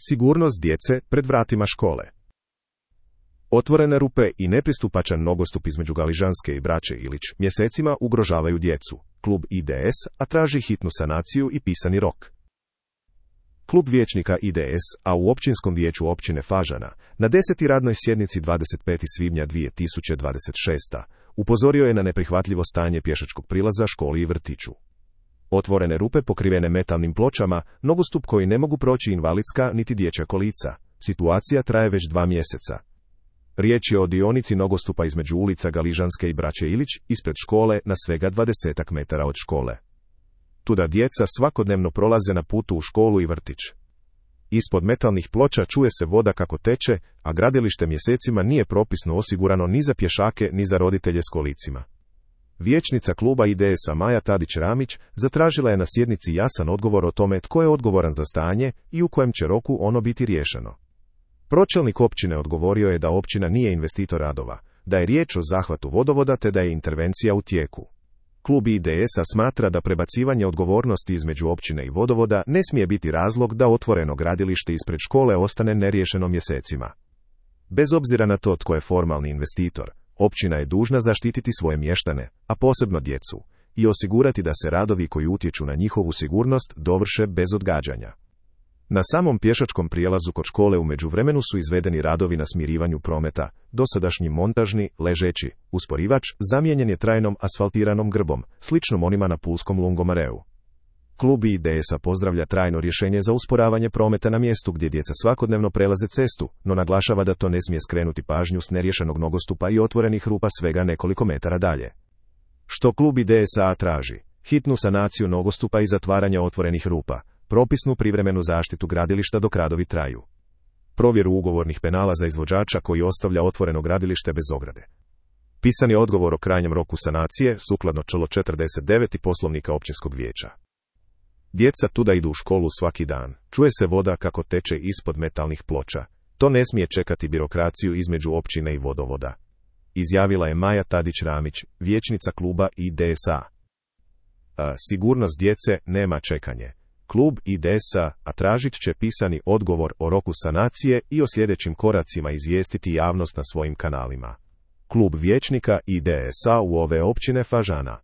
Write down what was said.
Sigurnost djece pred vratima škole. Otvorene rupe i nepristupačan nogostup između Galižanske i Braće Ilić mjesecima ugrožavaju djecu. Klub IDS, a traži hitnu sanaciju i pisani rok. Klub vijećnika IDS, a u Općinskom vijeću općine Fažana, na 10. radnoj sjednici 25. svibnja 2026. upozorio je na neprihvatljivo stanje pješačkog prilaza školi i vrtiću. Otvorene rupe pokrivene metalnim pločama, nogostup koji ne mogu proći invalidska niti dječja kolica. Situacija traje već 2 mjeseca. Riječ je o dionici nogostupa između ulica Galižanske i Braće Ilić, ispred škole na svega 20 metara od škole. Tuda djeca svakodnevno prolaze na putu u školu i vrtić. Ispod metalnih ploča čuje se voda kako teče, a gradilište mjesecima nije propisno osigurano ni za pješake ni za roditelje s kolicima. Vijećnica kluba IDS-a Maja Tadić-Ramić zatražila je na sjednici jasan odgovor o tome tko je odgovoran za stanje i u kojem će roku ono biti riješeno. Pročelnik općine odgovorio je da općina nije investitor radova, da je riječ o zahvatu vodovoda te da je intervencija u tijeku. Klub IDS-a smatra da prebacivanje odgovornosti između općine i vodovoda ne smije biti razlog da otvoreno gradilište ispred škole ostane neriješeno mjesecima. Bez obzira na to tko je formalni investitor, općina je dužna zaštititi svoje mještane, a posebno djecu, i osigurati da se radovi koji utječu na njihovu sigurnost dovrše bez odgađanja. Na samom pješačkom prijelazu kod škole u međuvremenu su izvedeni radovi na smirivanju prometa, dosadašnji montažni, ležeći, usporivač zamijenjen je trajnom asfaltiranom grbom, sličnom onima na pulskom lungomareu. Klub IDS-a pozdravlja trajno rješenje za usporavanje prometa na mjestu gdje djeca svakodnevno prelaze cestu, no naglašava da to ne smije skrenuti pažnju s neriješenog nogostupa i otvorenih rupa svega nekoliko metara dalje. Što klub IDS-a traži? Hitnu sanaciju nogostupa i zatvaranje otvorenih rupa, propisnu privremenu zaštitu gradilišta dok radovi traju. Provjeru ugovornih penala za izvođača koji ostavlja otvoreno gradilište bez ograde. Pisani odgovor o krajnjem roku sanacije, sukladno čl. 49. Poslovnika općinskog vijeća. Djeca tuda idu u školu svaki dan, čuje se voda kako teče ispod metalnih ploča. To ne smije čekati birokraciju između općine i vodovoda. Izjavila je Maja Tadić-Ramić, vijećnica kluba IDS-a. Sigurnost djece nema čekanje. Klub IDS-a tražit će pisani odgovor o roku sanacije i o sljedećim koracima izvijestiti javnost na svojim kanalima. Klub vijećnika IDS-a u ove općine Fažana.